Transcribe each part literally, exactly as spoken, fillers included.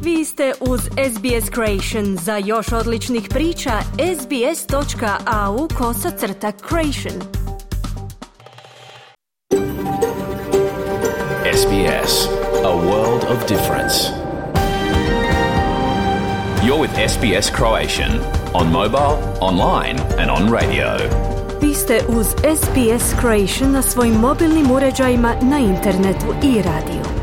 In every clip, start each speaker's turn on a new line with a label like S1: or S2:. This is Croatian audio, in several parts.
S1: Vi ste uz S B S Creation. Za još odličnih priča, sbs.au kosacrta creation.
S2: S B S, a world of difference. You're with S B S Croatian on mobile, online and on radio.
S1: Vi ste uz S B S Creation na svojim mobilnim uređajima, na internetu i radiju.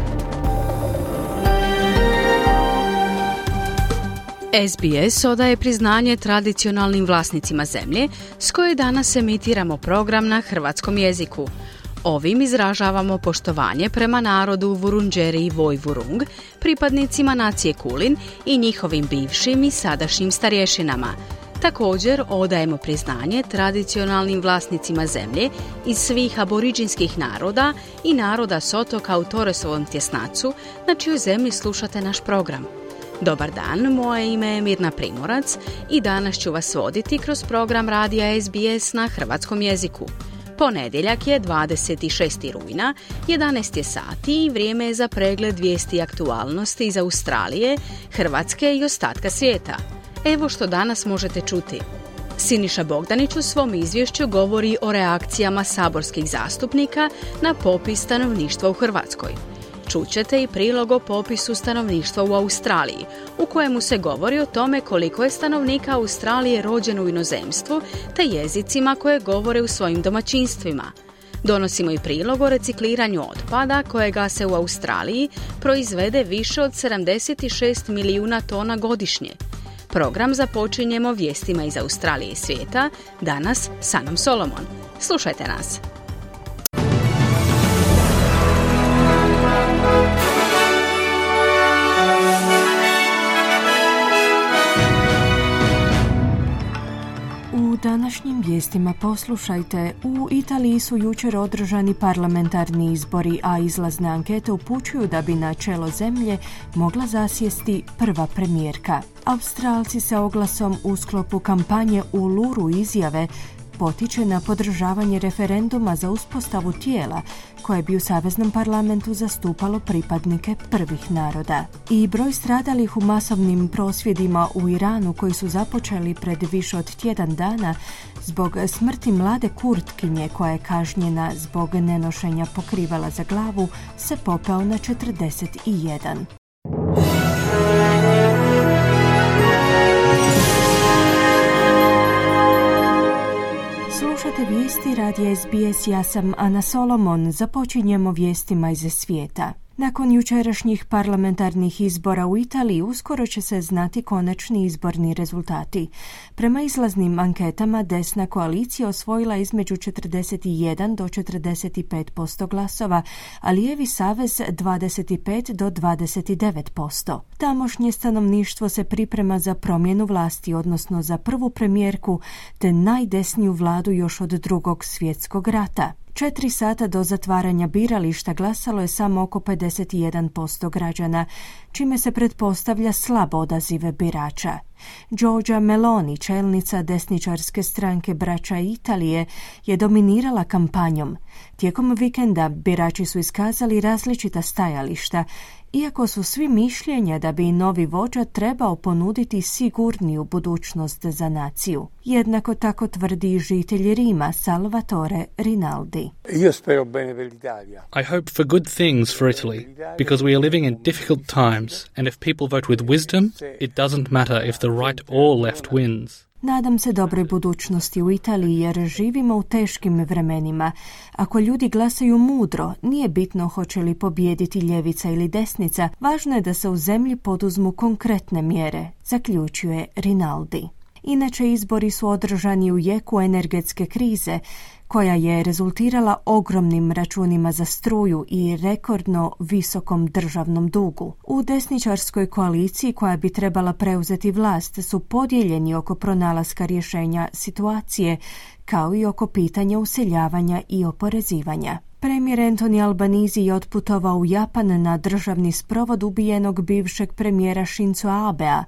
S3: S B S odaje priznanje tradicionalnim vlasnicima zemlje s koje danas emitiramo program na hrvatskom jeziku. Ovim izražavamo poštovanje prema narodu Vurundjeri i Vojvurung, pripadnicima nacije Kulin i njihovim bivšim i sadašnjim starješinama. Također odajemo priznanje tradicionalnim vlasnicima zemlje iz svih aboriđinskih naroda i naroda s otoka u Torresovom tjesnacu, na čijoj zemlji slušate naš program. Dobar dan, moje ime je Mirna Primorac i danas ću vas voditi kroz program radija S B S na hrvatskom jeziku. Ponedjeljak je dvadeset šestog rujna, jedanaest je sati i vrijeme je za pregled vijesti i aktualnosti iz Australije, Hrvatske i ostatka svijeta. Evo što danas možete čuti. Siniša Bogdanić u svom izvješću govori o reakcijama saborskih zastupnika na popis stanovništva u Hrvatskoj. Čućete i prilog o popisu stanovništva u Australiji, u kojemu se govori o tome koliko je stanovnika Australije rođeno u inozemstvu, te jezicima koje govore u svojim domaćinstvima. Donosimo i prilog o recikliranju otpada, kojega se u Australiji proizvede više od sedamdeset šest milijuna tona godišnje. Program započinjemo vijestima iz Australije i svijeta, danas s Anom Solomon. Slušajte nas!
S1: U današnjim vijestima poslušajte, u Italiji su jučer održani parlamentarni izbori, a izlazne ankete upućuju da bi na čelo zemlje mogla zasjesti prva premijerka. Australci se oglasom u sklopu kampanje Uluru izjave potiče na podržavanje referenduma za uspostavu tijela koje bi u Saveznom parlamentu zastupalo pripadnike prvih naroda. I broj stradalih u masovnim prosvjedima u Iranu koji su započeli pred više od tjedan dana zbog smrti mlade Kurtkinje koja je kažnjena zbog nenošenja pokrivala za glavu se popeo na četrdeset jedan. Slušate vijesti radija S B S, ja sam Ana Solomon. Započinjemo vijestima iz svijeta. Nakon jučerašnjih parlamentarnih izbora u Italiji uskoro će se znati konačni izborni rezultati. Prema izlaznim anketama desna koalicija osvojila između četrdeset jedan do četrdeset pet posto glasova, a lijevi savez dvadeset pet do dvadeset devet posto. Tamošnje stanovništvo se priprema za promjenu vlasti, odnosno za prvu premijerku te najdesniju vladu još od drugog svjetskog rata. Četiri sata do zatvaranja birališta glasalo je samo oko pedeset jedan posto građana, čime se pretpostavlja slab odaziv birača. Giorgia Meloni, čelnica desničarske stranke Braća Italije, je dominirala kampanjom. Tijekom vikenda birači su iskazali različita stajališta, iako su svi mišljenja da bi novi vođa trebao ponuditi sigurniju budućnost za naciju. Jednako tako tvrdi i žitelj Rima Salvatore Rinaldi.
S4: I hope for good things for Italy, because we are living in difficult times, and if people vote with wisdom, it doesn't matter if the right or left wins.
S1: Nadam se dobroj budućnosti u Italiji jer živimo u teškim vremenima. Ako ljudi glasaju mudro, nije bitno hoće li pobijediti ljevica ili desnica, važno je da se u zemlji poduzmu konkretne mjere, zaključuje Rinaldi. Inače, izbori su održani u jeku energetske krize, koja je rezultirala ogromnim računima za struju i rekordno visokom državnom dugu. U desničarskoj koaliciji koja bi trebala preuzeti vlast su podijeljeni oko pronalaska rješenja situacije, kao i oko pitanja useljavanja i oporezivanja. Premijer Anthony Albanese je otputovao u Japan na državni sprovod ubijenog bivšeg premijera Shinzo Abea,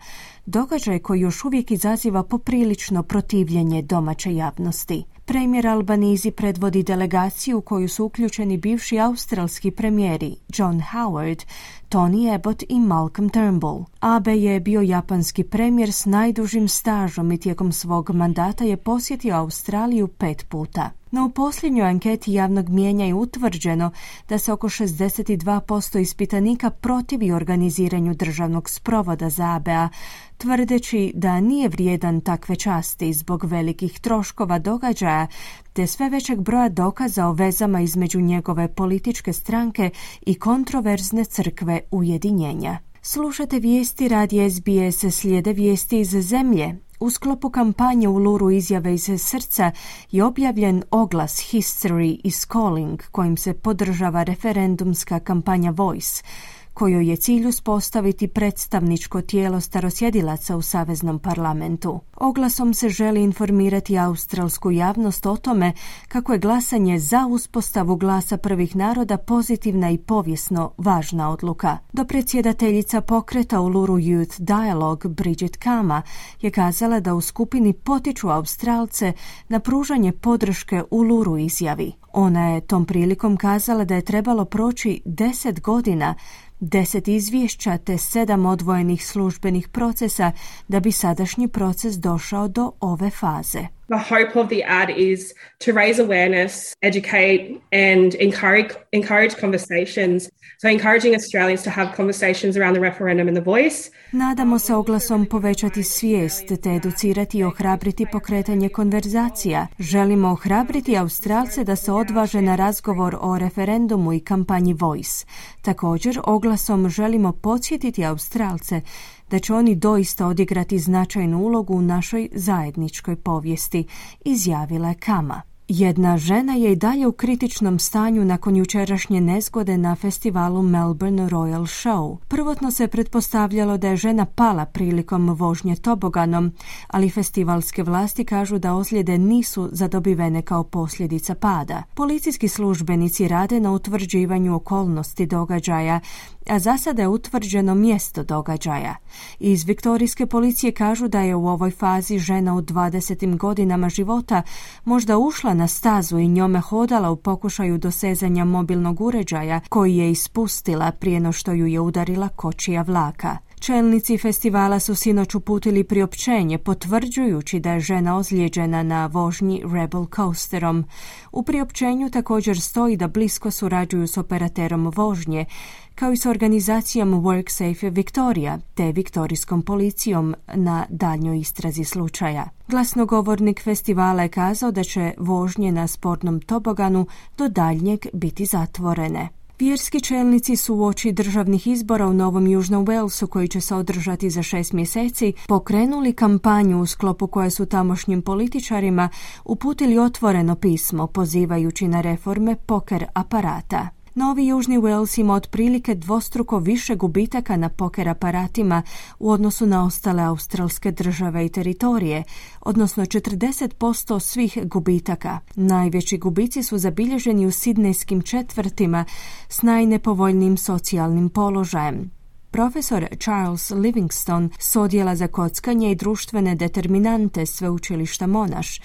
S1: događaj koji još uvijek izaziva poprilično protivljenje domaće javnosti. Premijer Albanizi predvodi delegaciju u koju su uključeni bivši australski premijeri John Howard, Tony Abbott i Malcolm Turnbull. Abe je bio japanski premijer s najdužim stažom i tijekom svog mandata je posjetio Australiju pet puta. No u posljednjoj anketi javnog mijenja je utvrđeno da se oko šezdeset dva posto ispitanika protivi organiziranju državnog sprovoda za Abea, tvrdeći da nije vrijedan takve časti zbog velikih troškova događaja te sve većeg broja dokaza o vezama između njegove političke stranke i kontroverzne crkve Ujedinjenja. Slušate vijesti radija S B S, slijede vijesti iz zemlje. U sklopu kampanje Uluru izjave iz srca je objavljen oglas History is Calling kojim se podržava referendumska kampanja Voice, kojoj je cilj uspostaviti predstavničko tijelo starosjedilaca u Saveznom parlamentu. Oglasom se želi informirati australsku javnost o tome kako je glasanje za uspostavu glasa prvih naroda pozitivna i povijesno važna odluka. Dopredsjedateljica pokreta Uluru Youth Dialogue Bridget Kama je kazala da u skupini potiču Australce na pružanje podrške Uluru izjavi. Ona je tom prilikom kazala da je trebalo proći deset godina, deset izvješća te sedam odvojenih službenih procesa da bi sadašnji proces došao do ove faze.
S5: The hope of the ad is to raise awareness, educate and encourage, encourage conversations. So encouraging Australians to have conversations around the referendum and the voice.
S1: Nadamo se oglasom povećati svijest te educirati i ohrabriti pokretanje konverzacija. Želimo ohrabriti Australce da se odvaže na razgovor o referendumu i kampanji Voice. Također oglasom želimo podsjetiti Australce da će oni doista odigrati značajnu ulogu u našoj zajedničkoj povijesti, izjavila je Kama. Jedna žena je i dalje u kritičnom stanju nakon jučerašnje nezgode na festivalu Melbourne Royal Show. Prvotno se pretpostavljalo da je žena pala prilikom vožnje toboganom, ali festivalske vlasti kažu da ozljede nisu zadobivene kao posljedica pada. Policijski službenici rade na utvrđivanju okolnosti događaja, a za sada je utvrđeno mjesto događaja. Iz viktorijske policije kažu da je u ovoj fazi žena u dvadesetim godinama života možda ušla na stazu i njome hodala u pokušaju dosezanja mobilnog uređaja koji je ispustila prije no što ju je udarila kočija vlaka. Čelnici festivala su sinoć uputili priopćenje potvrđujući da je žena ozlijeđena na vožnji Rebel Coasterom. U priopćenju također stoji da blisko surađuju s operaterom vožnje, kao i s organizacijom WorkSafe Victoria te viktorijskom policijom na daljnjoj istrazi slučaja. Glasnogovornik festivala je kazao da će vožnje na sportnom toboganu do daljnjeg biti zatvorene. Vjerski čelnici su uoči državnih izbora u Novom Južnom Walesu, koji će se održati za šest mjeseci, pokrenuli kampanju u sklopu koje su tamošnjim političarima uputili otvoreno pismo pozivajući na reforme poker aparata. Novi Južni Wales ima otprilike dvostruko više gubitaka na poker aparatima u odnosu na ostale australske države i teritorije, odnosno četrdeset posto svih gubitaka. Najveći gubici su zabilježeni u sidnejskim četvrtima s najnepovoljnijim socijalnim položajem. Profesor Charles Livingstone s odjela za kockanje i društvene determinante sveučilišta Monash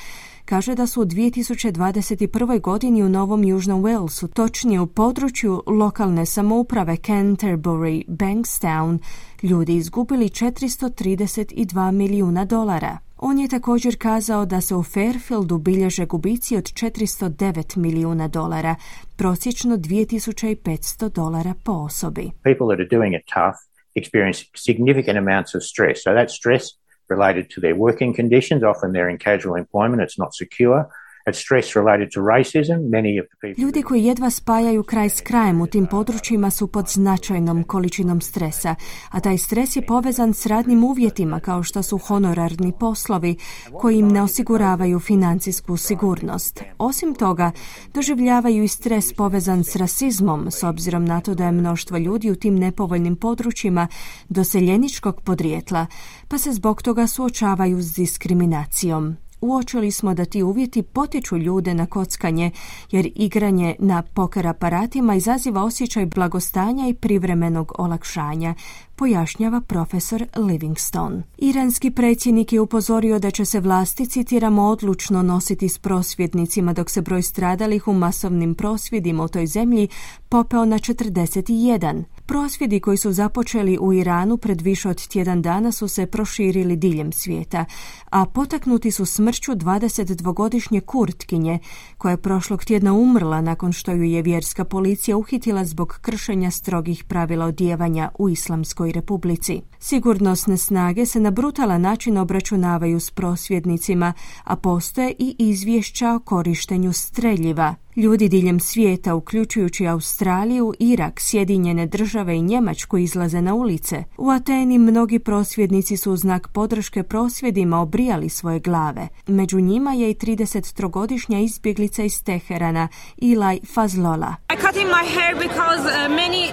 S1: kaže da su u dvije tisuće dvadeset prvoj. godini u Novom Južnom Walesu, točnije u području lokalne samouprave Canterbury, Bankstown, ljudi izgubili četiristo trideset dva milijuna dolara. On je također kazao da se u Fairfieldu bilježe gubici od četiristo devet milijuna dolara, prosječno dvije tisuće petsto dolara po osobi.
S6: People that are doing it tough experience significant amounts of stress. So that stress related to their working conditions, often they're in casual employment, it's not secure. It's stress related to racism. Many of the people...
S1: Ljudi koji jedva spajaju kraj s krajem u tim područjima su pod značajnom količinom stresa, a taj stres je povezan s radnim uvjetima kao što su honorarni poslovi koji im ne osiguravaju financijsku sigurnost. Osim toga, doživljavaju i stres povezan s rasizmom, s obzirom na to da je mnoštvo ljudi u tim nepovoljnim područjima doseljeničkog podrijetla, pa se zbog toga suočavaju s diskriminacijom. uočili smo da ti uvjeti potiču ljude na kockanje, jer igranje na poker aparatima izaziva osjećaj blagostanja i privremenog olakšanja, pojašnjava profesor Livingstone. Iranski predsjednik je upozorio da će se vlasti, citiramo, odlučno nositi s prosvjednicima dok se broj stradalih u masovnim prosvjedima u toj zemlji popeo na četrdeset jedan. Prosvjedi koji su započeli u Iranu pred više od tjedan dana su se proširili diljem svijeta, a potaknuti su smrću dvadesetdvogodišnje Kurtkinje, koja je prošlog tjedna umrla nakon što ju je vjerska policija uhitila zbog kršenja strogih pravila odijevanja u Islamskoj Republici. Sigurnosne snage se na brutalan način obračunavaju s prosvjednicima, a postoje i izvješća o korištenju streljiva. Ljudi diljem svijeta, uključujući Australiju, Irak, Sjedinjene države i Njemačku, izlaze na ulice. U Ateni mnogi prosvjednici su u znak podrške prosvjedima obrijali svoje glave. Među njima je i tridesettrogodišnja izbjeglica iz Teherana, Ilaj Fazlola.
S7: I cut in my hair because uh, many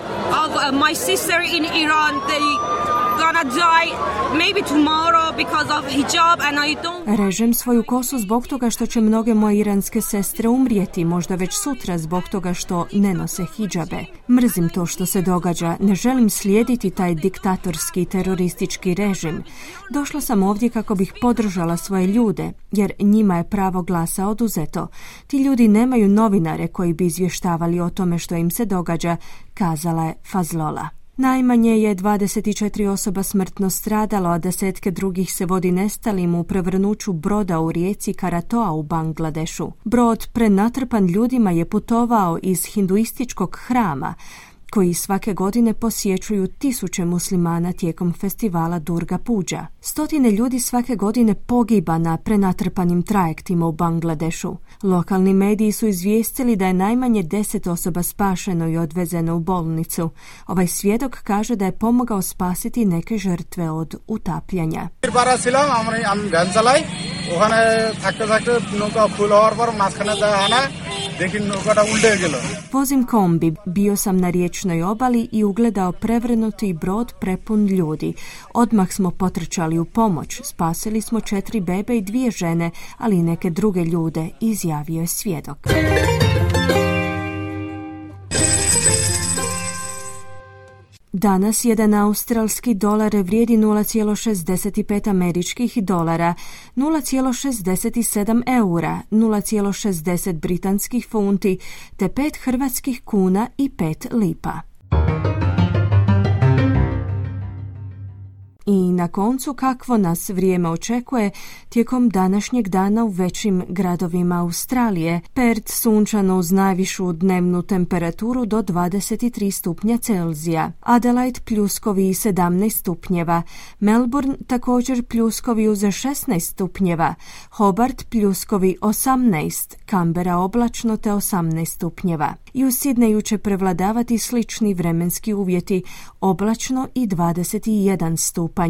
S7: of uh, my sister in Iran, they gonna die maybe tomorrow because of hijab and I don't...
S1: Režem svoju kosu zbog toga što će mnoge moje iranske sestre umrijeti, možda već sutra zbog toga što ne nose hidžabe. Mrzim to što se događa, ne želim slijediti taj diktatorski teroristički režim. Došla sam ovdje kako bih podržala svoje ljude, jer njima je pravo glasa oduzeto. Ti ljudi nemaju novinare koji bi izvještavali o tome što im se događa, kazala je Fazlola. Najmanje je dvadeset četiri osoba smrtno stradalo, a desetke drugih se vodi nestalim u prevrnuću broda u rijeci Karatoa u Bangladešu. Brod prenatrpan ljudima je putovao iz hinduističkog hrama, koji svake godine posjećuju tisuće muslimana tijekom festivala Durga Puja. Stotine ljudi svake godine pogiba na prenatrpanim trajektima u Bangladešu. Lokalni mediji su izvijestili da je najmanje deset osoba spašeno i odvezeno u bolnicu. Ovaj svjedok kaže da je pomogao spasiti neke žrtve od utapljanja. Vozim kombi, bio sam na riječnoj obali i ugledao prevrnuti brod prepun ljudi. Odmah smo potrčali u pomoć, spasili smo četiri bebe i dvije žene, ali i neke druge ljude, izjavio je svjedok. Danas jedan australski dolar vrijedi nula zarez šezdeset pet američkih dolara, nula zarez šezdeset sedam eura, nula zarez šezdeset britanskih funti te pet hrvatskih kuna i pet lipa. I na koncu, kakvo nas vrijeme očekuje tijekom današnjeg dana u većim gradovima Australije. Perth sunčano uz najvišu dnevnu temperaturu do dvadeset tri stupnja Celzija. Adelaide pljuskovi sedamnaest stupnjeva. Melbourne također pljuskovi uz šesnaest stupnjeva. Hobart pljuskovi osamnaest. Canberra oblačno te osamnaest stupnjeva. I u Sydneyu će prevladavati slični vremenski uvjeti, oblačno i dvadeset jedan stupanj.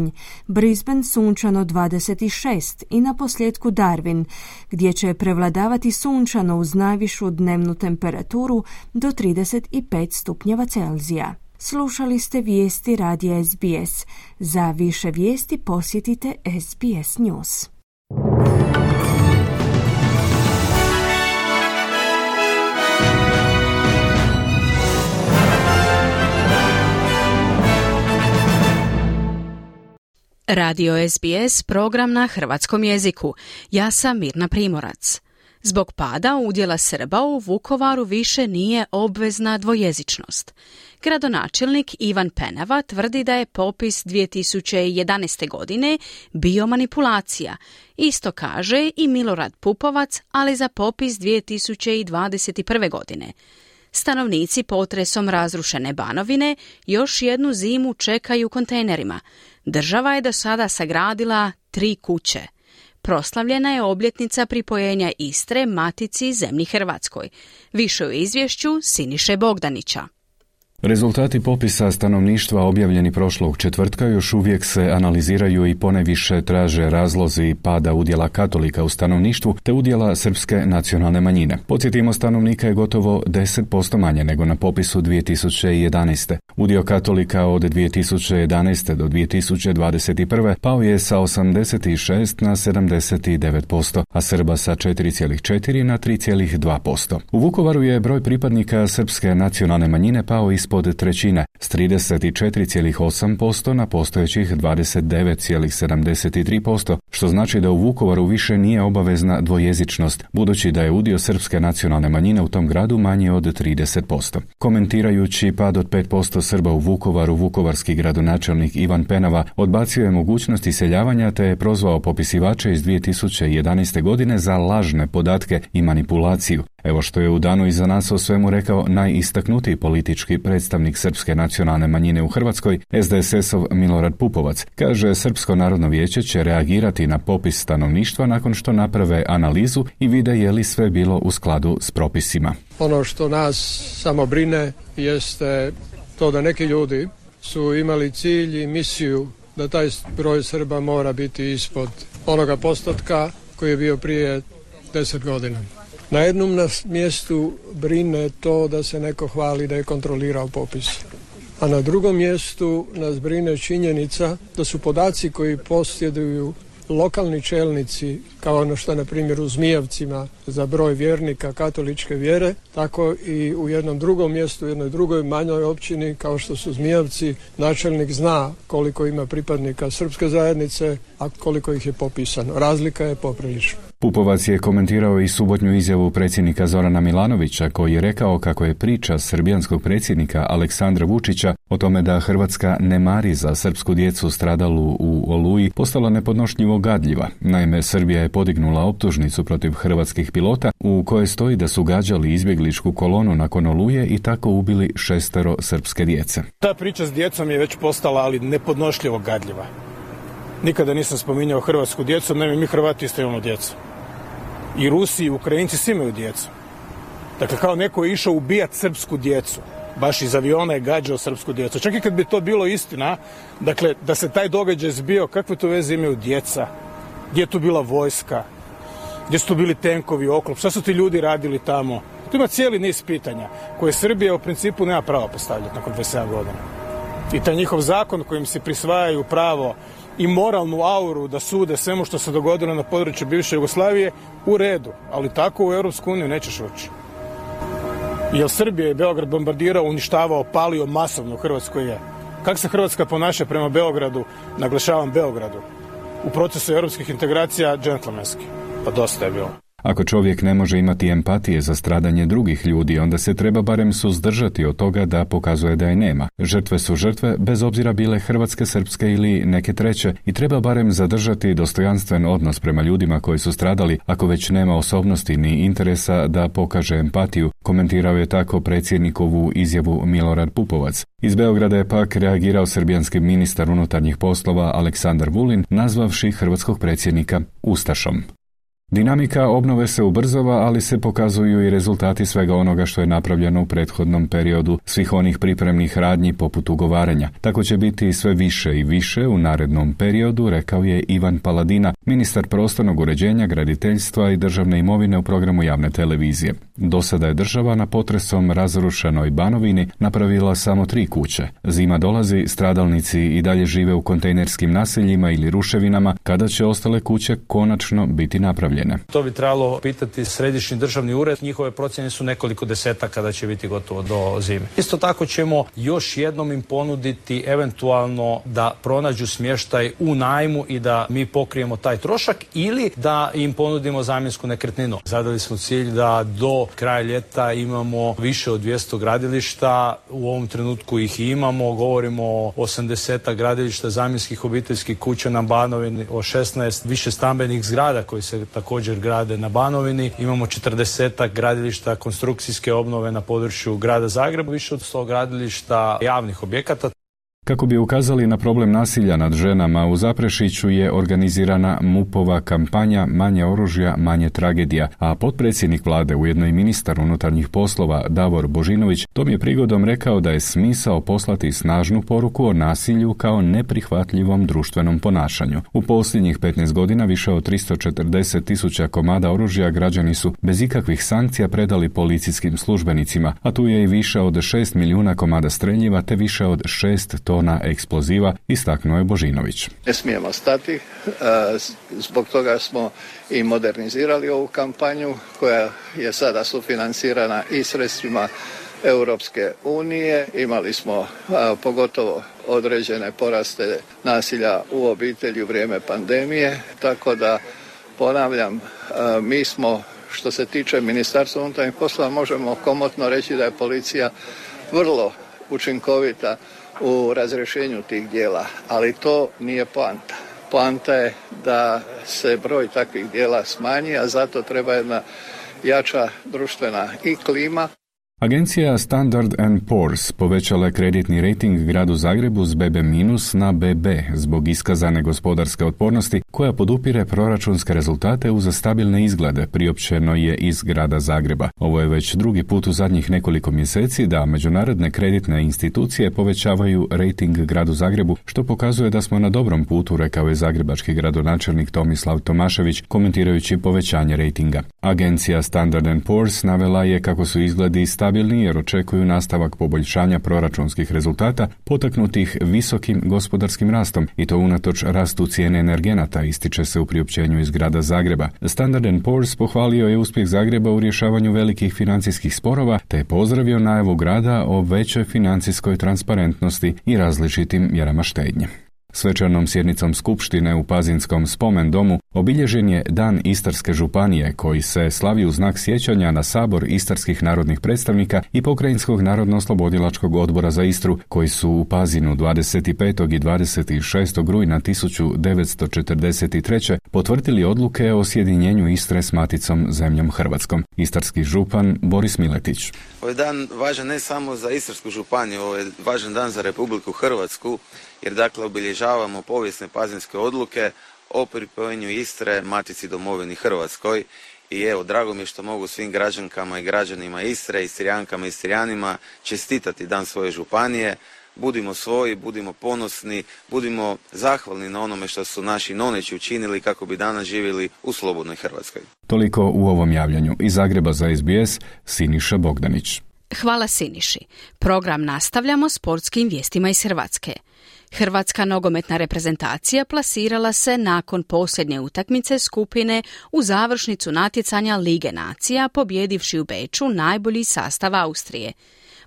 S1: Brisbane sunčano dvadeset šest i na posljedku Darwin, gdje će prevladavati sunčano uz najvišu dnevnu temperaturu do trideset pet stupnjeva Celzija. Slušali ste vijesti radija S B S. Za više vijesti posjetite S B S News.
S3: Radio S B S, program na hrvatskom jeziku. Ja sam Mirna Primorac. Zbog pada udjela Srba u Vukovaru više nije obvezna dvojezičnost. Gradonačelnik Ivan Penava tvrdi da je popis dvije tisuće jedanaeste. godine bio manipulacija. Isto kaže i Milorad Pupovac, ali za popis dvije tisuće dvadeset prve. godine. Stanovnici potresom razrušene Banovine još jednu zimu čekaju u kontejnerima. Država je do sada sagradila tri kuće. Proslavljena je obljetnica pripojenja Istre matici zemlji Hrvatskoj. Više u izvješću Siniše Bogdanića.
S8: Rezultati popisa stanovništva objavljeni prošlog četvrtka još uvijek se analiziraju i ponajviše traže razlozi pada udjela katolika u stanovništvu te udjela srpske nacionalne manjine. Podsjetimo, stanovnika je gotovo deset posto manje nego na popisu dvije tisuće jedanaeste. Udio katolika od dvije tisuće jedanaeste do dvije tisuće dvadeset prve pao je sa osamdeset šest na sedamdeset devet posto, a Srba sa četiri zarez četiri na tri zarez dva posto. U Vukovaru je broj pripadnika srpske nacionalne manjine pao ispod trećine, s trideset četiri zarez osam posto na postojećih dvadeset devet zarez sedamdeset tri posto, što znači da u Vukovaru više nije obavezna dvojezičnost, budući da je udio srpske nacionalne manjine u tom gradu manji od trideset posto. Komentirajući pad od pet posto Srba u Vukovaru, vukovarski gradonačelnik Ivan Penava odbacio je mogućnost iseljavanja te je prozvao popisivače iz dvije tisuće jedanaeste. godine za lažne podatke i manipulaciju. Evo što je u danu iza nas o svemu rekao najistaknutiji politički predstavnik srpske nacionalne manjine u Hrvatskoj, es de es es-ov Milorad Pupovac. Kaže, Srpsko narodno vijeće će reagirati na popis stanovništva nakon što naprave analizu i vide je li sve bilo u skladu s propisima.
S9: Ono što nas samo brine jeste to da neki ljudi su imali cilj i misiju da taj broj Srba mora biti ispod onoga postotka koji je bio prije deset godina. Na jednom nas mjestu brine to da se neko hvali da je kontrolirao popis. A na drugom mjestu nas brine činjenica da su podaci koji posjeduju lokalni čelnici, kao ono što na primjer u Zmijavcima za broj vjernika katoličke vjere, tako i u jednom drugom mjestu, u jednoj drugoj manjoj općini kao što su Zmijavci, načelnik zna koliko ima pripadnika srpske zajednice, a koliko ih je popisano. Razlika je poprilična.
S8: Pupovac je komentirao i subotnju izjavu predsjednika Zorana Milanovića, koji je rekao kako je priča srbijanskog predsjednika Aleksandra Vučića o tome da Hrvatska ne mari za srpsku djecu stradalu u Oluji postala nepodnošljivo gadljiva. Naime, Srbija je podignula optužnicu protiv hrvatskih pilota u kojoj stoji da su gađali izbjegličku kolonu nakon Oluje i tako ubili šestero srpske djece.
S10: Ta priča s djecom je već postala, ali nepodnošljivo gadljiva. Nikada nisam spominjao hrvatsku djecu, naime mi Hrvati isto imamo djecu. I Rusi i Ukrajinci svi imaju djecu. Dakle, kao neko je išao ubijati srpsku djecu. Baš iz aviona je gađao srpsku djecu. Čak i kad bi to bilo istina, dakle, da se taj događaj zbio, kakve to veze imaju djeca? Gdje je tu bila vojska? Gdje su tu bili tenkovi, oklop? Šta su ti ljudi radili tamo? Tu ima cijeli niz pitanja koje Srbija u principu nema pravo postavljati nakon dvadeset sedam godina. I taj njihov zakon kojim se prisvajaju pravo i moralnu auru da sude svemu što se dogodilo na području bivše Jugoslavije, u redu, ali tako u Europsku uniju nećeš ući. Jer Srbija je Beograd bombardirao, uništavao, palio masovno, u Hrvatskoj je. Kako se Hrvatska ponaša prema Beogradu, naglašavam Beogradu, u procesu europskih integracija džentlmenski? Pa dosta je bilo.
S8: Ako čovjek ne može imati empatije za stradanje drugih ljudi, onda se treba barem suzdržati od toga da pokazuje da je nema. Žrtve su žrtve, bez obzira bile hrvatske, srpske ili neke treće, i treba barem zadržati dostojanstven odnos prema ljudima koji su stradali, ako već nema osobnosti ni interesa da pokaže empatiju, komentirao je tako predsjednikovu izjavu Milorad Pupovac. Iz Beograda je pak reagirao srbijanski ministar unutarnjih poslova Aleksandar Vulin, nazvavši hrvatskog predsjednika ustašom. Dinamika obnove se ubrzava, ali se pokazuju i rezultati svega onoga što je napravljeno u prethodnom periodu, svih onih pripremnih radnji poput ugovaranja. Tako će biti sve više i više u narednom periodu, rekao je Ivan Paladina, ministar prostornog uređenja, graditeljstva i državne imovine u programu javne televizije. Do sada je država na potresom razrušenoj Banovini napravila samo tri kuće. Zima dolazi, stradalnici i dalje žive u kontejnerskim naseljima ili ruševinama, kada će ostale kuće konačno biti napravljene.
S11: To bi trebalo pitati središnji državni ured. Njihove procjene su nekoliko desetaka kada će biti gotovo do zime. Isto tako ćemo još jednom im ponuditi eventualno da pronađu smještaj u najmu i da mi pokrijemo taj trošak ili da im ponudimo zamjensku nekretninu. Zadali smo cilj da do kraja ljeta imamo više od dvjesto gradilišta. U ovom trenutku ih imamo. Govorimo o osamdeset gradilišta zamjenskih obiteljskih kuća na Banovini, o šesnaest više stambenih zgrada koji se tako također grade na Banovini. Imamo četrdesetak gradilišta konstrukcijske obnove na području grada Zagreba, više od sto gradilišta javnih objekata.
S8: Kako bi ukazali na problem nasilja nad ženama, u Zaprešiću je organizirana MUP-ova kampanja Manje oružja, manje tragedija, a potpredsjednik vlade, ujedno i ministar unutarnjih poslova Davor Božinović, tom je prigodom rekao da je smisao poslati snažnu poruku o nasilju kao neprihvatljivom društvenom ponašanju. U posljednjih petnaest godina više od tristo četrdeset tisuća komada oružja građani su bez ikakvih sankcija predali policijskim službenicima, a tu je i više od šest milijuna komada streljiva te više od šest tona eksploziva, istaknuo je Božinović.
S12: Ne smijemo stati, zbog toga smo i modernizirali ovu kampanju koja je sada sufinancirana i sredstvima Europske unije. Imali smo a, pogotovo određene poraste nasilja u obitelji u vrijeme pandemije, tako da ponavljam, a, mi smo što se tiče Ministarstva unutarnjih poslova možemo komotno reći da je policija vrlo učinkovita u razrješenju tih djela, ali to nije poanta. Poanta je da se broj takvih djela smanji, a zato treba jedna jača društvena i klima.
S8: Agencija Standard and Poor's povećala je kreditni rejting gradu Zagrebu s B B minus na B B zbog iskazane gospodarske otpornosti koja podupire proračunske rezultate uz stabilne izglede, priopćeno je iz grada Zagreba. Ovo je već drugi put u zadnjih nekoliko mjeseci da međunarodne kreditne institucije povećavaju rejting gradu Zagrebu, što pokazuje da smo na dobrom putu, rekao je zagrebački gradonačelnik Tomislav Tomašević komentirajući povećanje rejtinga. Agencija Standard and Poor's navela je kako su izgledi stabilni jer očekuju nastavak poboljšanja proračunskih rezultata potaknutih visokim gospodarskim rastom i to unatoč rastu cijene energenata, ističe se u priopćenju iz grada Zagreba. Standard and Poor's pohvalio je uspjeh Zagreba u rješavanju velikih financijskih sporova te je pozdravio najavu grada o većoj financijskoj transparentnosti i različitim mjerama štednje. Svečanom sjednicom skupštine u Pazinskom spomen domu obilježen je Dan Istarske županije koji se slavi u znak sjećanja na Sabor istarskih narodnih predstavnika i Pokrajinskog narodno-oslobodilačkog odbora za Istru koji su u Pazinu dvadeset petog i dvadeset šestog rujna tisuću devetsto četrdeset treće potvrdili odluke o sjedinjenju Istre s maticom zemljom Hrvatskom. Istarski župan Boris Miletić.
S13: Ovaj dan važan ne samo za Istarsku županiju, ovo je važan dan za Republiku Hrvatsku, jer dakle obilježavamo povijesne pazinske odluke o pripojenju Istre matici domovini Hrvatskoj. I evo, drago mi je što mogu svim građankama i građanima Istre, Istrijankama i Istrijanima čestitati dan svoje županije. Budimo svoji, budimo ponosni, budimo zahvalni na onome što su naši noneći učinili kako bi danas živjeli u slobodnoj Hrvatskoj.
S8: Toliko u ovom javljanju. Iz Zagreba za S B S, Siniša Bogdanić.
S3: Hvala Siniši. Program nastavljamo sportskim vijestima iz Hrvatske. Hrvatska nogometna reprezentacija plasirala se nakon posljednje utakmice skupine u završnicu natjecanja Lige nacija, pobjedivši u Beču najbolji sastav Austrije.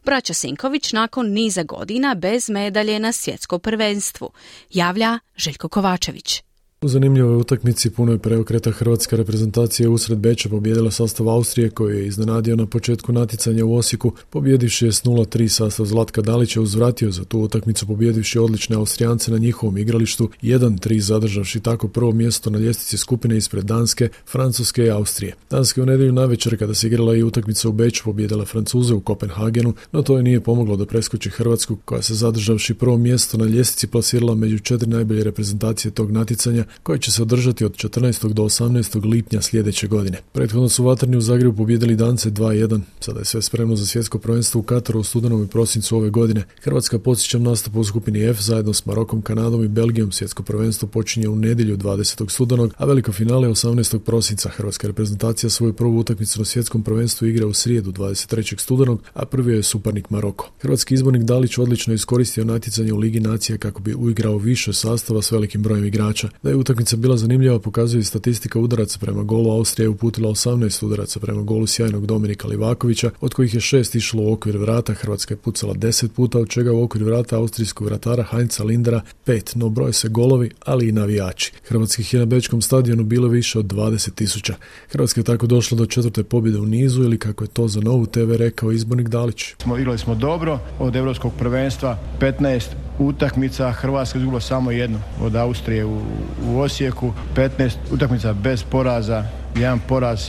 S3: Braća Sinković nakon niza godina bez medalje na svjetskom prvenstvu, javlja Željko Kovačević.
S14: U zanimljivoj utakmici punoj preokreta hrvatska reprezentacija usred Beča pobijedila sastav Austrije koji je iznenadio na početku natjecanja u Osijeku, pobjedivši je s nula tri sastav Zlatka Dalića, uzvratio za tu utakmicu pobjedivši odlične Austrijance na njihovom igralištu, jedan tri zadržavši tako prvo mjesto na ljestvici skupine ispred Danske, Francuske i Austrije. Danska u nedjelju navečer kada se igrala i utakmica u Beču pobijedila Francuze u Kopenhagenu, no to je nije pomoglo da preskoči Hrvatsku koja se zadržavši prvo mjesto na ljestvici plasirala među četiri najbolje reprezentacije tog natjecanja koje će se održati od četrnaestog do osamnaestog lipnja sljedeće godine. Prethodno su vatreni u Zagrebu pobijedili Dance dva jedan. Sada je sve spremno za svjetsko prvenstvo u Kataru u studenom i prosincu ove godine. Hrvatska, podsjećam, nastupa u skupini F zajedno s Marokom, Kanadom i Belgijom. Svjetsko prvenstvo počinje u nedjelju dvadesetog studenog, a veliko finale osamnaestog prosinca. Hrvatska reprezentacija svoju prvu utakmicu na svjetskom prvenstvu igra u srijedu dvadeset trećeg studenog, a prvi je suparnik Maroko. Hrvatski izbornik Dalić odlično iskoristio natjecanje u Ligi nacija kako bi uigrao više sastava s velikim brojem igrača. Da je utakmica bila zanimljiva pokazuje i statistika udaraca prema golu. Austrija je uputila osamnaest udaraca prema golu sjajnog Dominika Livakovića, od kojih je šest išlo u okvir vrata. Hrvatska je pucala deset puta, od čega u okvir vrata austrijskog vratara Heinza Lindera pet, no broje se golovi, ali i navijači. Hrvatskih je na bečkom stadionu bilo više od dvadeset tisuća. Hrvatska je tako došla do četvrte pobjede u nizu, ili kako je to za Novu T V rekao izbornik Dalić.
S15: Smo igrali smo dobro, od europskog prvenstva petnaest utakmica, Hrvatska izgubila samo jednu od Austrije u, u Osijeku, petnaest utakmica bez poraza, jedan poraz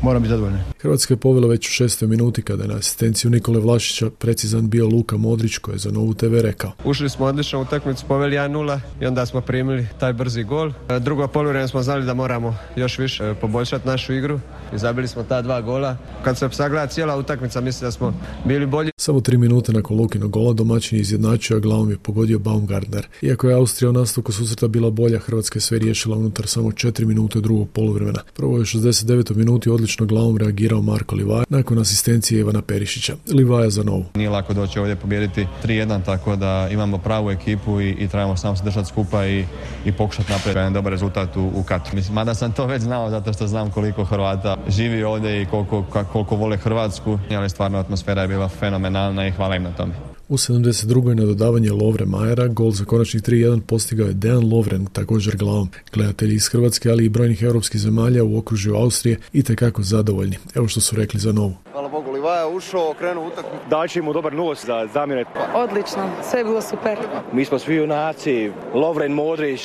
S15: moramo biti zadovoljni.
S14: Hrvatska je povela već u šestoj minuti kada je na asistenciju Nikole Vlašića precizan bio Luka Modrić koji je za Novu te ve rekao.
S16: Ušli smo odlično u utakmicu, poveli jedan nula i onda smo primili taj brzi gol. Drugo poluvrijeme smo znali da moramo još više poboljšati našu igru i zabili smo ta dva gola. Kad se sagleda cijela utakmica, mislim da smo bili bolji.
S14: Samo tri minute nakon Lukinog gola domaćin je izjednačio, a glavom je pogodio Baumgartner. Iako je Austrija u nastavku susreta bila bolja, Hrvatska je sve riješila unutar samo četiri minute drugog poluvremena. Prvo je u šezdeset devetoj minuti odlično glavom reagirao Marko Livaja nakon asistencije Ivana Perišića. Livaja za Novu.
S17: Nije lako doći ovdje pobijediti tri jedan, tako da imamo pravu ekipu i, i trebamo samo se držati skupa i, i pokušati napraviti jedan dobar rezultat u, u Katru. Mislim, mada sam to već znao zato što znam koliko Hrvata živi ovdje i koliko, koliko vole Hrvatsku, ali stvarno atmosfera je bila fenomenalna i hvala im na tome.
S14: U sedamdeset drugoj na dodavanje Lovre Majera gol za konačnih tri jedan postigao je Dejan Lovren, također glavom. Gledatelji iz Hrvatske, ali i brojnih europskih zemalja u okružju Austrije itekako zadovoljni. Evo što su rekli za Novu.
S18: Hvala Bogu, Livaja ušao, krenuo utakmicu.
S19: Daći mu dobar nos za zamjene.
S20: Odlično, sve je bilo super.
S19: Mi smo svi junaci, Lovren, Modrić,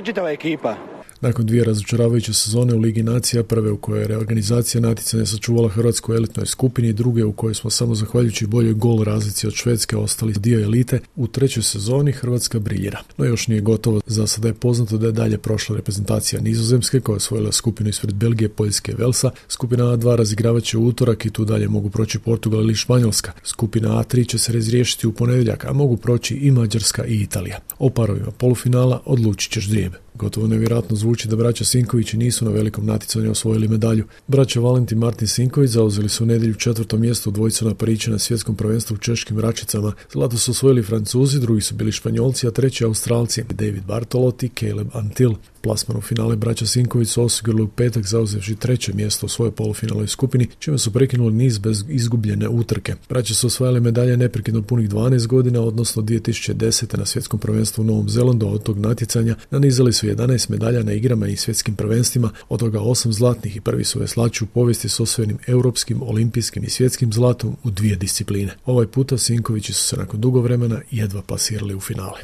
S19: čitava ekipa.
S14: Nakon dvije razočaravajuće sezone u Ligi nacija, prve u kojoj je reorganizacija natjecanja sačuvala Hrvatsku u elitnoj skupini, druge u kojoj smo samo zahvaljujući boljoj gol razlici od Švedske ostali dio elite, u trećoj sezoni Hrvatska briljira. No još nije gotovo, za sada je poznato da je dalje prošla reprezentacija Nizozemske koja je osvojila skupinu ispred Belgije, Poljske i Velsa. Skupina A dva razigravat će u utorak i tu dalje mogu proći Portugal ili Španjolska. Skupina A tri će se razriješiti u ponedjeljak, a mogu proći i Mađarska i Italija. O parovima polufinala odlučit će ždrijeb. Gotovo nevjerojatno zvuči da braća Sinkovići nisu na velikom natjecanju osvojili medalju. Braća Valentin i Martin Sinković zauzeli su u nedjelju četvrto mjesto u dvojicu na Pariću na svjetskom prvenstvu u češkim račicama. Zlato su osvojili Francuzi, drugi su bili Španjolci, a treći Australci David Bartolot i Caleb Antil. Plasman u finale braća Sinković su osigurali u petak zauzevši treće mjesto u svojoj polufinalnoj skupini, čime su prekinuli niz bez izgubljene utrke. Braća su osvajali medalje neprekidno punih dvanaest godina, odnosno dvije tisuće desete na svjetskom prvenstvu u Novom Zelandu. Od tog natjecanja nanizali su jedanaest medalja na igrama i svjetskim prvenstvima, od toga osam zlatnih i prvi su veslači u povijesti s osvojenim europskim, olimpijskim i svjetskim zlatom u dvije discipline. Ovaj puta Sinkovići su se nakon dugo vremena jedva plasirali u finale.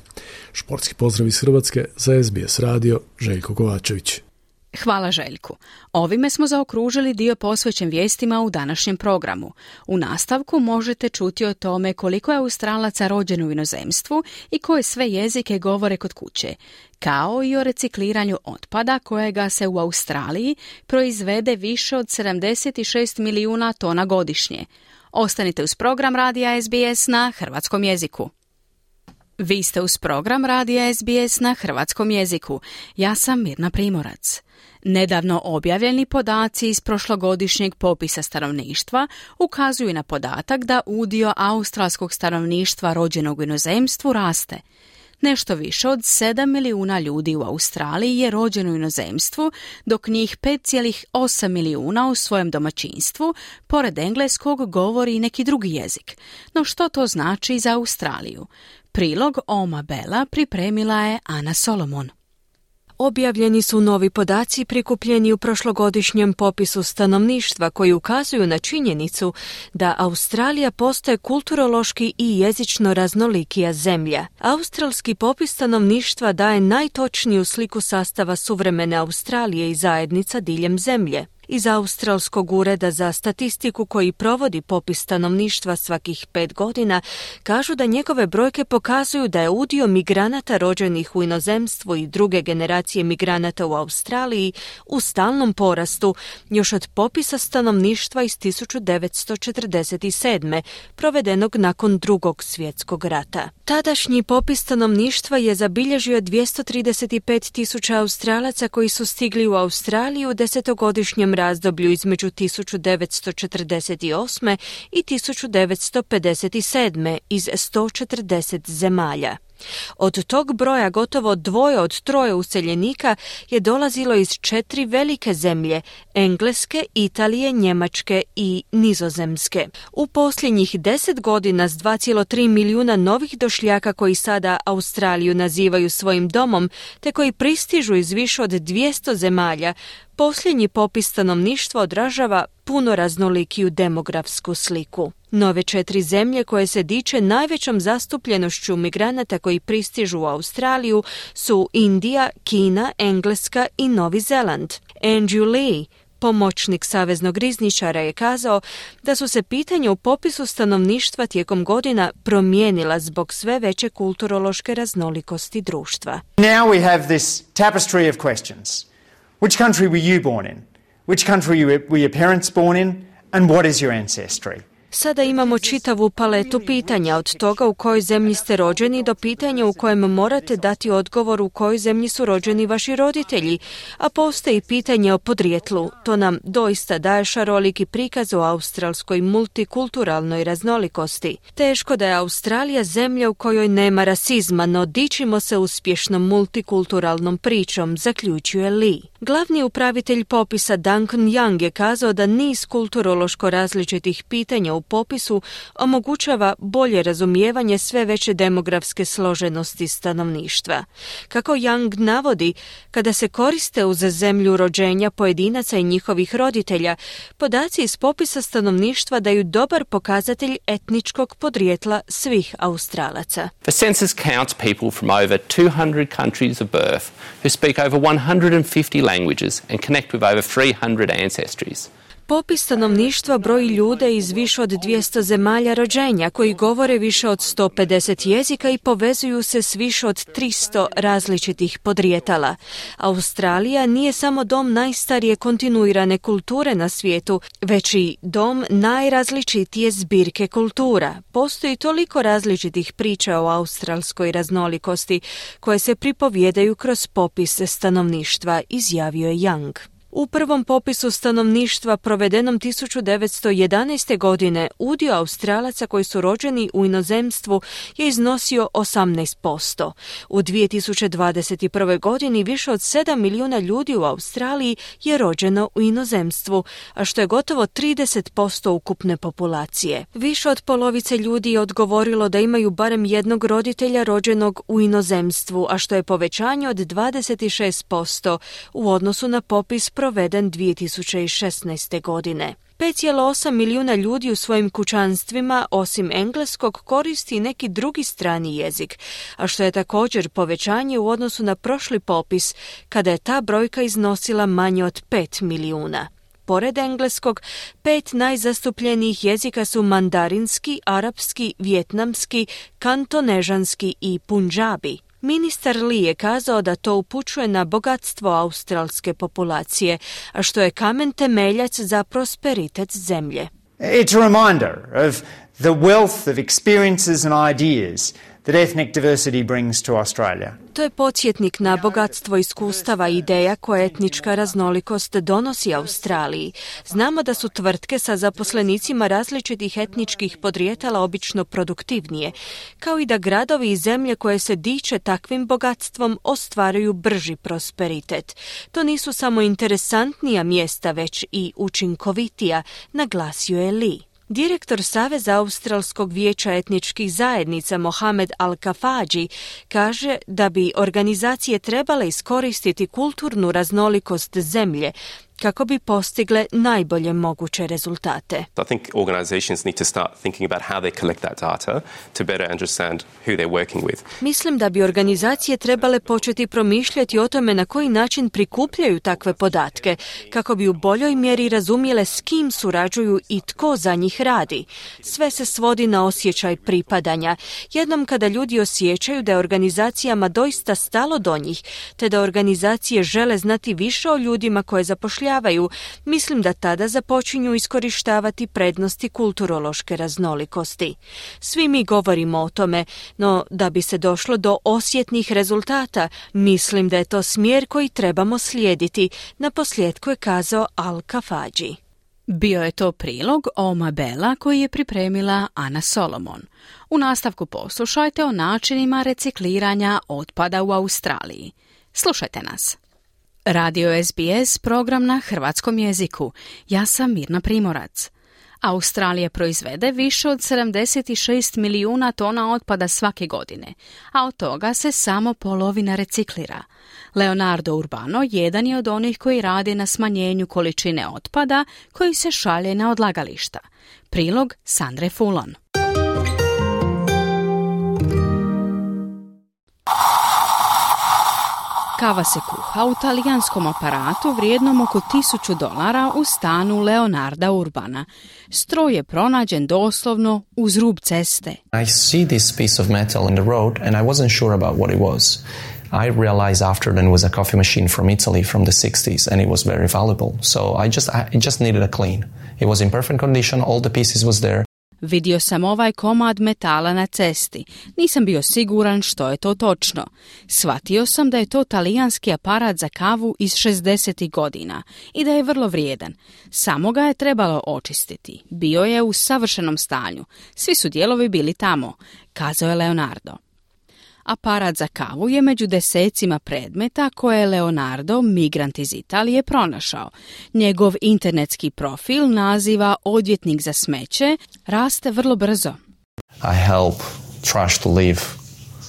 S14: Športski pozdrav iz Hrvatske za es be es radio, Željko Kovačević.
S3: Hvala Željku. Ovime smo zaokružili dio posvećen vijestima u današnjem programu. U nastavku možete čuti o tome koliko je Australaca rođeno u inozemstvu i koje sve jezike govore kod kuće, kao i o recikliranju otpada kojega se u Australiji proizvede više od sedamdeset šest milijuna tona godišnje. Ostanite uz program radija es be es na hrvatskom jeziku. Vi ste uz program radija es be es na hrvatskom jeziku. Ja sam Mirna Primorac. Nedavno objavljeni podaci iz prošlogodišnjeg popisa stanovništva ukazuju na podatak da udio australskog stanovništva rođenog u inozemstvu raste. Nešto više od sedam milijuna ljudi u Australiji je rođeno u inozemstvu, dok njih pet zarez osam milijuna u svojem domaćinstvu, pored engleskog, govori i neki drugi jezik. No što to znači za Australiju? Prilog Oma Bela pripremila je Ana Solomon.
S1: Objavljeni su novi podaci prikupljeni u prošlogodišnjem popisu stanovništva koji ukazuju na činjenicu da Australija postaje kulturološki i jezično raznolikija zemlja. Australski popis stanovništva daje najtočniju sliku sastava suvremene Australije i zajednica diljem zemlje. Iz Australskog ureda za statistiku koji provodi popis stanovništva svakih pet godina kažu da njegove brojke pokazuju da je udio migranata rođenih u inozemstvu i druge generacije migranata u Australiji u stalnom porastu još od popisa stanovništva iz tisuću devetsto četrdeset sedme. provedenog nakon drugog svjetskog rata. Tadašnji popis stanovništva je zabilježio dvjesto trideset pet tisuća Australaca koji su stigli u Australiju u desetogodišnjem razdoblju između tisuću devetsto četrdeset osme. i tisuću devetsto pedeset sedme. iz sto četrdeset zemalja. Od tog broja gotovo dvoje od troje useljenika je dolazilo iz četiri velike zemlje, Engleske, Italije, Njemačke i Nizozemske. U posljednjih deset godina s dva zarez tri milijuna novih došljaka koji sada Australiju nazivaju svojim domom, te koji pristižu iz više od dvjesto zemalja, posljednji popis stanovništva odražava puno raznolikiju demografsku sliku. Nove četiri zemlje koje se diče najvećom zastupljenošću migranata koji pristižu u Australiju su Indija, Kina, Engleska i Novi Zeland. Andrew Lee, Pomoćnik saveznog rizničara je kazao da su se pitanja u popisu stanovništva tijekom godina promijenila zbog sve veće kulturološke raznolikosti društva.
S21: Now we have this tapestry of questions. Which country were you born in? Which country were your parents born in? And what is your ancestry?
S1: Sada imamo čitavu paletu pitanja, od toga u kojoj zemlji ste rođeni do pitanja u kojem morate dati odgovor u kojoj zemlji su rođeni vaši roditelji, a postoji pitanje o podrijetlu. To nam doista daje šaroliki prikaz o australskoj multikulturalnoj raznolikosti. Teško da je Australija zemlja u kojoj nema rasizma, no dičimo se uspješnom multikulturalnom pričom, zaključuje Lee. Glavni upravitelj popisa Duncan Young je kazao da niz kulturološko različitih pitanja u popisu omogućava bolje razumijevanje sve veće demografske složenosti stanovništva. Kako Young navodi, kada se koriste uz zemlju rođenja pojedinaca i njihovih roditelja, podaci iz popisa stanovništva daju dobar pokazatelj etničkog podrijetla svih Australaca.
S2: The census counts people from over two hundred countries of birth who speak over one hundred fifty languages and connect with over three hundred ancestries.
S1: Popis stanovništva broji ljude iz više od dvjesto zemalja rođenja koji govore više od sto pedeset jezika i povezuju se s više od tristo različitih podrijetala. Australija nije samo dom najstarije kontinuirane kulture na svijetu, već i dom najrazličitije zbirke kultura. Postoji toliko različitih priča o australskoj raznolikosti koje se pripovjedaju kroz popis stanovništva, izjavio je Young. U prvom popisu stanovništva provedenom tisuću devetsto jedanaeste. godine udio Australaca koji su rođeni u inozemstvu je iznosio osamnaest posto. U dvije tisuće dvadeset prve. godini više od sedam milijuna ljudi u Australiji je rođeno u inozemstvu, a što je gotovo trideset posto ukupne populacije. Više od polovice ljudi je odgovorilo da imaju barem jednog roditelja rođenog u inozemstvu, a što je povećanje od dvadeset šest posto u odnosu na popis proveden dvije tisuće šesnaeste. godine. pet zarez osam milijuna ljudi u svojim kućanstvima, osim engleskog, koristi neki drugi strani jezik, a što je također povećanje u odnosu na prošli popis, kada je ta brojka iznosila manje od pet milijuna. Pored engleskog, pet najzastupljenijih jezika su mandarinski, arapski, vjetnamski, kantonežanski i punđabi. Ministar Lee je kazao da to upućuje na bogatstvo australske populacije, a što je kamen temeljac za prosperitet zemlje.
S21: It's a reminder of the wealth of experiences and ideas that ethnic diversity brings to Australia.
S1: To je podsjetnik na bogatstvo iskustava i ideja koje etnička raznolikost donosi Australiji. Znamo da su tvrtke sa zaposlenicima različitih etničkih podrijetala obično produktivnije, kao i da gradovi i zemlje koje se diče takvim bogatstvom ostvaruju brži prosperitet. To nisu samo interesantnija mjesta, već i učinkovitija, naglasio je Lee. Direktor Saveza Australskog vijeća etničkih zajednica Mohamed Al-Kafaji kaže da bi organizacije trebale iskoristiti kulturnu raznolikost zemlje kako bi postigle najbolje moguće rezultate.
S22: I think organizations need to start thinking about how they collect that data to better understand who they're working with.
S1: Mislim da bi organizacije trebale početi promišljati o tome na koji način prikupljaju takve podatke, kako bi u boljoj mjeri razumjele s kim surađuju i tko za njih radi. Sve se svodi na osjećaj pripadanja. Jednom kada ljudi osjećaju da je organizacijama doista stalo do njih, te da organizacije žele znati više o ljudima koje zapošljavaju, mislim da tada započinju iskorištavati prednosti kulturološke raznolikosti. Svi mi govorimo o tome, no da bi se došlo do osjetnih rezultata, mislim da je to smjer koji trebamo slijediti, naposljetku je kazao Al-Kafaji.
S3: Bio je to prilog Oma Bela koji je pripremila Ana Solomon. U nastavku poslušajte o načinima recikliranja otpada u Australiji. Slušajte nas. Radio S B S, program na hrvatskom jeziku. Ja sam Mirna Primorac. Australija proizvede više od sedamdeset šest milijuna tona otpada svake godine, a od toga se samo polovina reciklira. Leonardo Urbano jedan je od onih koji radi na smanjenju količine otpada koji se šalje na odlagališta. Prilog Sandre Fulon. Kava se kuha u talijanskom aparatu vrijednom oko tisuću dolara u stanu Leonarda Urbana. Stroj je pronađen doslovno uz rub ceste.
S4: I see this piece of metal in the road and I wasn't sure about what it was. I realized after then it was a coffee machine from Italy from the sixties and it was very valuable. So I just I just needed a clean. It was in perfect condition, all the pieces was there.
S3: Vidio sam ovaj komad metala na cesti. Nisam bio siguran što je to točno. Shvatio sam da je to talijanski aparat za kavu iz šezdesetih godina i da je vrlo vrijedan. Samo ga je trebalo očistiti. Bio je u savršenom stanju. Svi su dijelovi bili tamo, kazao je Leonardo. Aparat za kavu je među desecima predmeta koje je Leonardo, migrant iz Italije, pronašao. Njegov internetski profil naziva odvjetnik za smeće, raste vrlo brzo.
S4: I help trash to live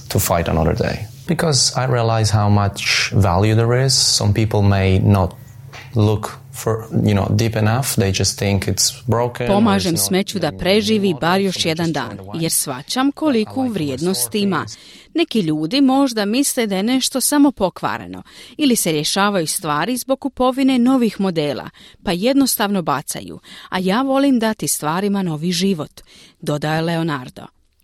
S4: to fight another day. Because I realize how much value there is. Some people may not look for, you know, deep enough. They just think it's broken.
S3: Pomažem smeću da preživi bar još jedan dan, jer shvaćam koliku vrijednost ima. Neki ljudi možda misle da je nešto samo pokvareno ili se rješavaju stvari zbog kupovine novih modela, pa jednostavno bacaju, a ja volim dati stvarima novi život, dodaje Leonardo,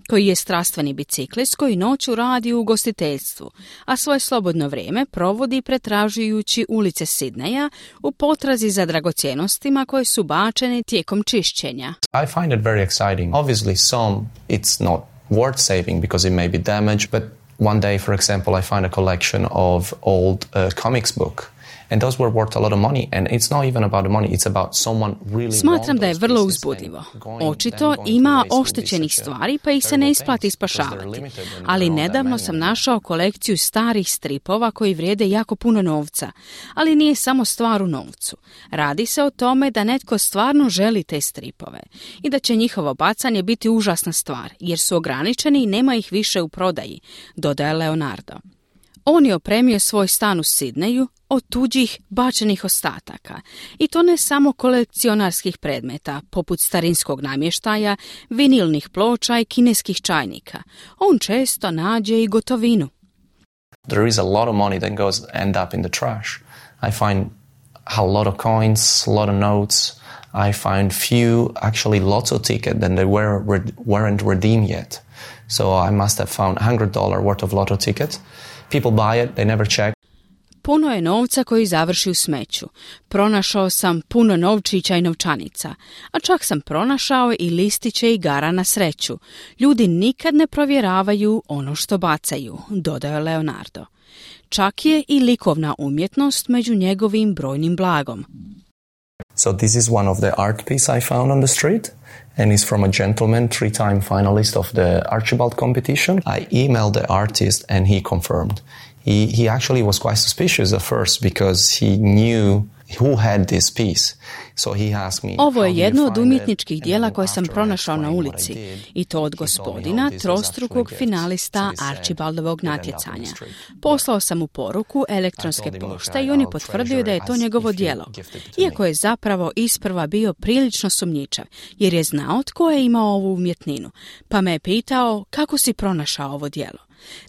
S3: koji je strastveni biciklist koji noću radi u ugostiteljstvu, a svoje slobodno vrijeme provodi pretražujući ulice Sidneja u potrazi za dragocjenostima koje su bačene tijekom čišćenja.
S4: I find it very exciting. Obviously some it's not worth saving because it may be damaged, but one day, for example, I find a collection of old uh, comics book. And those were worth a lot of money. And it's not even about the money, it's about someone really.
S3: Smatram da je vrlo uzbudljivo. Očito ima oštećenih stvari pa ih se ne isplati spašavati. Ali nedavno sam našao kolekciju starih stripova koji vrijede jako puno novca. Ali nije samo stvar u novcu. Radi se o tome da netko stvarno želi te stripove. I da će njihovo bacanje biti užasna stvar, jer su ograničeni i nema ih više u prodaji, dodaje Leonardo. On je opremio svoj stan u Sidneju od tuđih bačenih ostataka. I to ne samo kolekcionarskih predmeta, poput starinskog namještaja, vinilnih ploča i kineskih čajnika. On često nađe i gotovinu.
S4: There is a lot of money that goes end up in the trash. I find a lot of coins, a lot of notes. I find few, actually lots of tickets that they were, weren't redeemed yet. So I must have found one hundred dollars worth of lotto tickets. People buy it, they never check.
S3: Puno je novca koji završi u smeću. Pronašao sam puno novčića i novčanica, a čak sam pronašao i listiće igara na sreću. Ljudi nikad ne provjeravaju ono što bacaju, dodaje Leonardo. Čak je i likovna umjetnost među njegovim brojnim blagom.
S4: So this is one of the art piece I found on the street. And is from a gentleman, three-time finalist of the Archibald competition. I emailed the artist and he confirmed. He, he actually was quite suspicious at first because he knew who had this piece. So he asked me,
S3: ovo je jedno od umjetničkih dijela koje sam pronašao na ulici i to od gospodina, trostrukog finalista Archibaldovog natjecanja. Poslao sam mu poruku elektronske pošte i on je potvrdio da je to njegovo djelo, iako je zapravo isprva bio prilično sumnjičav, jer je znao tko je imao ovu umjetninu, pa me je pitao kako si pronašao ovo djelo.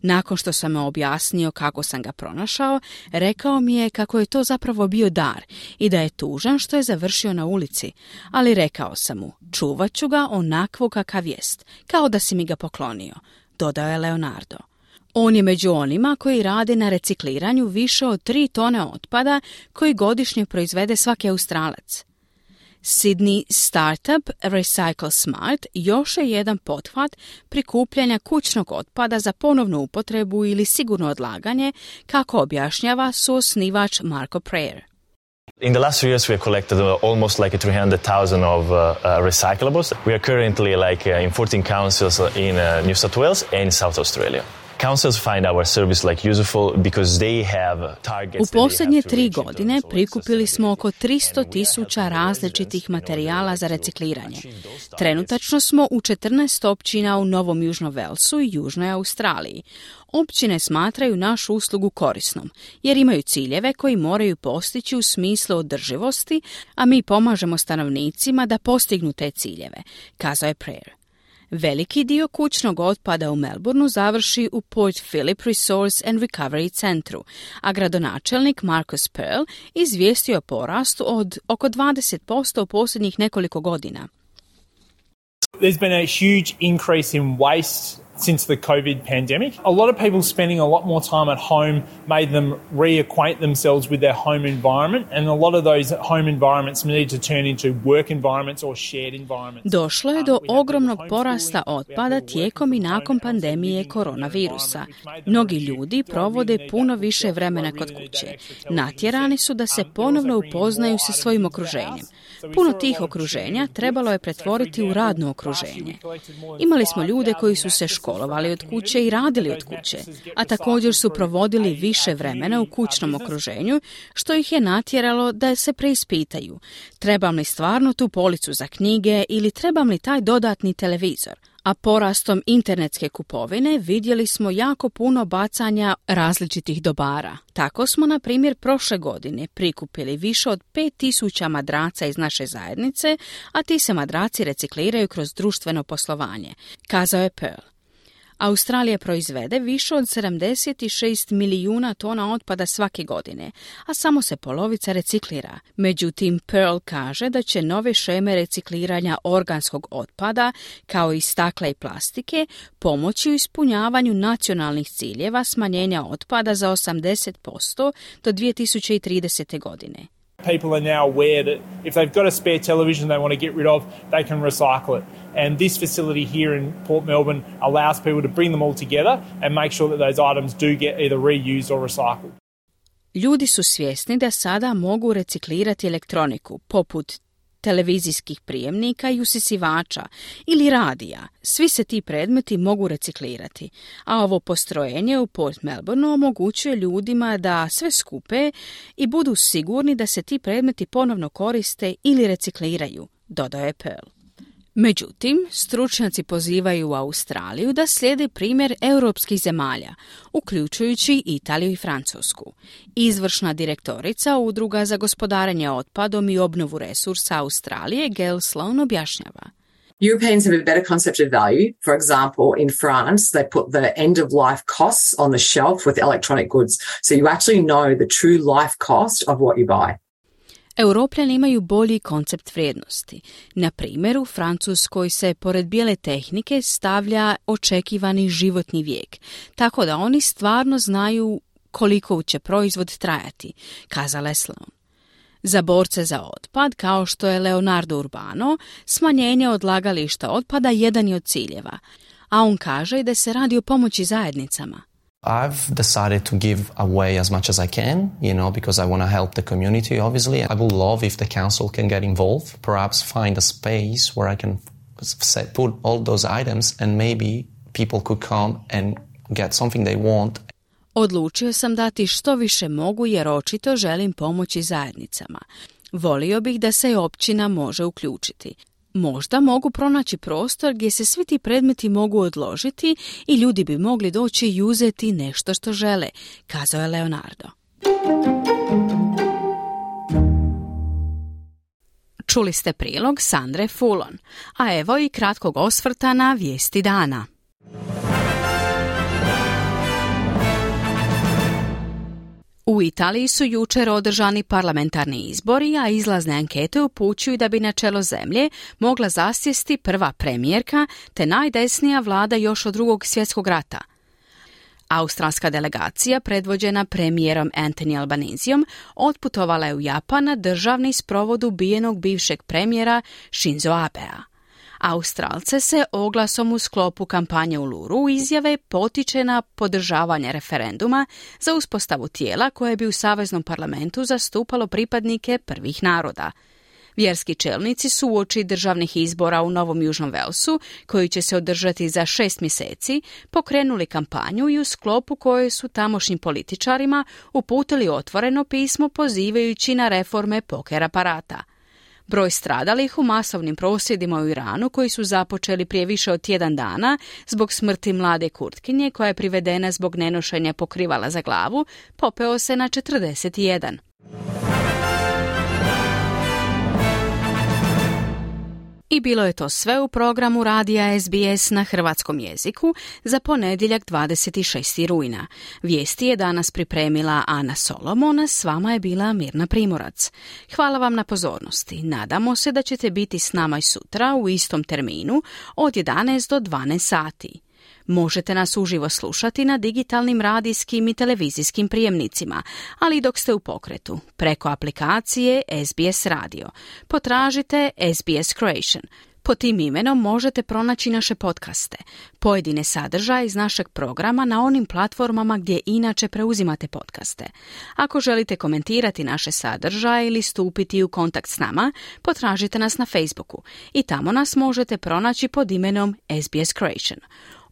S3: Nakon što sam me objasnio kako sam ga pronašao, rekao mi je kako je to zapravo bio dar i da je tužan što je završio na ulici, ali rekao sam mu, čuvat ću ga onakvo kakav jest, kao da si mi ga poklonio, dodao je Leonardo. On je među onima koji rade na recikliranju više od tri tone otpada koji godišnje proizvede svaki Australac. Sydney Startup Recycle Smart još je jedan pothvat prikupljanja kućnog otpada za ponovnu upotrebu ili sigurno odlaganje, kako objašnjava suosnivač Marco Prayer.
S5: In the last few years, we have collected uh, almost like three hundred thousand of uh, uh, recyclables. We are currently like uh, in fourteen councils in uh, New South Wales and South Australia. Councils find our service like useful because they have targets.
S3: U posljednje tri godine prikupili smo oko tristo tisuća različitih materijala za recikliranje. Trenutačno smo u četrnaest općina u Novom Južnom Velsu i Južnoj Australiji. Općine smatraju našu uslugu korisnom, jer imaju ciljeve koji moraju postići u smislu održivosti, a mi pomažemo stanovnicima da postignu te ciljeve, kazao je Prayer. Veliki dio kućnog otpada u Melbourneu završi u Port Phillip Resource and Recovery centru, a gradonačelnik Marcus Pearl izvijestio o porastu od oko dvadeset posto u posljednjih nekoliko godina.
S6: There's been a huge increase in waste since the COVID pandemic. A lot of people spending a lot more time at home made them reacquaint themselves with their home environment, and a lot of those home environments need to turn into work environments or shared environments.
S3: Došlo je do ogromnog porasta otpada tijekom i nakon pandemije koronavirusa. Mnogi ljudi provode puno više vremena kod kuće. Natjerani su da se ponovno upoznaju sa svojim okruženjem. Puno tih okruženja trebalo je pretvoriti u radno okruženje. Imali smo ljude koji su se školovali od kuće i radili od kuće, a također su provodili više vremena u kućnom okruženju, što ih je natjeralo da se preispitaju. Trebam li stvarno tu policu za knjige ili trebam li taj dodatni televizor? A porastom internetske kupovine vidjeli smo jako puno bacanja različitih dobara. Tako smo, na primjer, prošle godine prikupili više od pet tisuća madraca iz naše zajednice, a ti se madraci recikliraju kroz društveno poslovanje, kazao je Pearl. Australija proizvede više od sedamdeset šest milijuna tona otpada svake godine, a samo se polovica reciklira. Međutim, Pearl kaže da će nove šeme recikliranja organskog otpada, kao i stakla i plastike, pomoći u ispunjavanju nacionalnih ciljeva smanjenja otpada za osamdeset posto do dvije tisuće tridesete. godine.
S6: People are now aware that if they've got a spare television they want to get rid of, they can recycle it. And this facility here in Port Melbourne allows people to bring them all together and make sure that those items do get either reused or recycled.
S3: Ljudi su svjesni da sada mogu reciklirati elektroniku, poput televizijskih prijemnika i usisivača ili radija. Svi se ti predmeti mogu reciklirati, a ovo postrojenje u Port Melbourneu omogućuje ljudima da sve skupe i budu sigurni da se ti predmeti ponovno koriste ili recikliraju, dodao je Pearl. Međutim, stručnjaci pozivaju Australiju da slijedi primjer europskih zemalja, uključujući Italiju i Francusku. Izvršna direktorica Udruga za gospodarenje otpadom i obnovu resursa Australije, Gail Sloan, objašnjava.
S7: Europeans have a better concept of value. For example, in France, they put the end-of-life costs on the shelf with electronic goods. So you actually know the true life cost of what you buy.
S3: Europljani imaju bolji koncept vrijednosti. Na primjer, u Francuskoj se pored bijele tehnike stavlja očekivani životni vijek, tako da oni stvarno znaju koliko će proizvod trajati, kazala je Sloan. Za borce za otpad, kao što je Leonardo Urbano, smanjenje odlagališta otpada jedan je od ciljeva, a on kaže da se radi o pomoći zajednicama.
S4: I've decided to give away as much as I can, you know, because I want to help the community, obviously. I would love if the council can get involved, perhaps find a space where I can set, put all those items and maybe people could come and get something they want.
S3: Odlučio sam dati što više mogu jer očito želim pomoći zajednicama. Volio bih da se općina može uključiti. Možda mogu pronaći prostor gdje se svi ti predmeti mogu odložiti i ljudi bi mogli doći i uzeti nešto što žele, kazao je Leonardo. Čuli ste prilog Sandre Fulon, a evo i kratkog osvrta na vijesti dana. U Italiji su jučer održani parlamentarni izbori, a izlazne ankete upućuju da bi na čelo zemlje mogla zasjesti prva premijerka te najdesnija vlada još od drugog svjetskog rata. Australska delegacija, predvođena premijerom Anthony Albanesijom, otputovala je u Japan na državni sprovod ubijenog bivšeg premijera Shinzo Abea. Australce se oglasom u sklopu kampanje u Luru izjave potiče na podržavanje referenduma za uspostavu tijela koje bi u Saveznom parlamentu zastupalo pripadnike prvih naroda. Vjerski čelnici su uoči državnih izbora u Novom Južnom Velsu, koji će se održati za šest mjeseci, pokrenuli kampanju i u sklopu koje su tamošnjim političarima uputili otvoreno pismo pozivajući na reforme poker aparata. Broj stradalih u masovnim prosvjedima u Iranu, koji su započeli prije više od tjedan dana zbog smrti mlade Kurtkinje koja je privedena zbog nenošenja pokrivala za glavu, popeo se na četrdeset jedan. I bilo je to sve u programu radija S B S na hrvatskom jeziku za ponedjeljak dvadeset šestog rujna. Vijesti je danas pripremila Ana Solomon, a s vama je bila Mirna Primorac. Hvala vam na pozornosti. Nadamo se da ćete biti s nama i sutra u istom terminu od jedanaest do dvanaest sati. Možete nas uživo slušati na digitalnim radijskim i televizijskim prijemnicima, ali i dok ste u pokretu, preko aplikacije S B S Radio. Potražite S B S Croatian. Po tim imenom možete pronaći naše podcaste, pojedine sadržaje iz našeg programa na onim platformama gdje inače preuzimate podcaste. Ako želite komentirati naše sadržaje ili stupiti u kontakt s nama, potražite nas na Facebooku i tamo nas možete pronaći pod imenom S B S Croatian.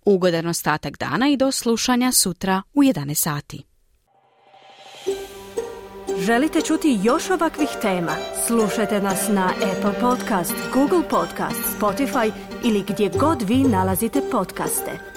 S3: Ugodan ostatak dana i do slušanja sutra u jedanaest sati.
S1: Želite čuti još ovakvih tema? Slušajte nas na Apple Podcast, Google Podcast, Spotify ili gdje god vi nalazite podcaste.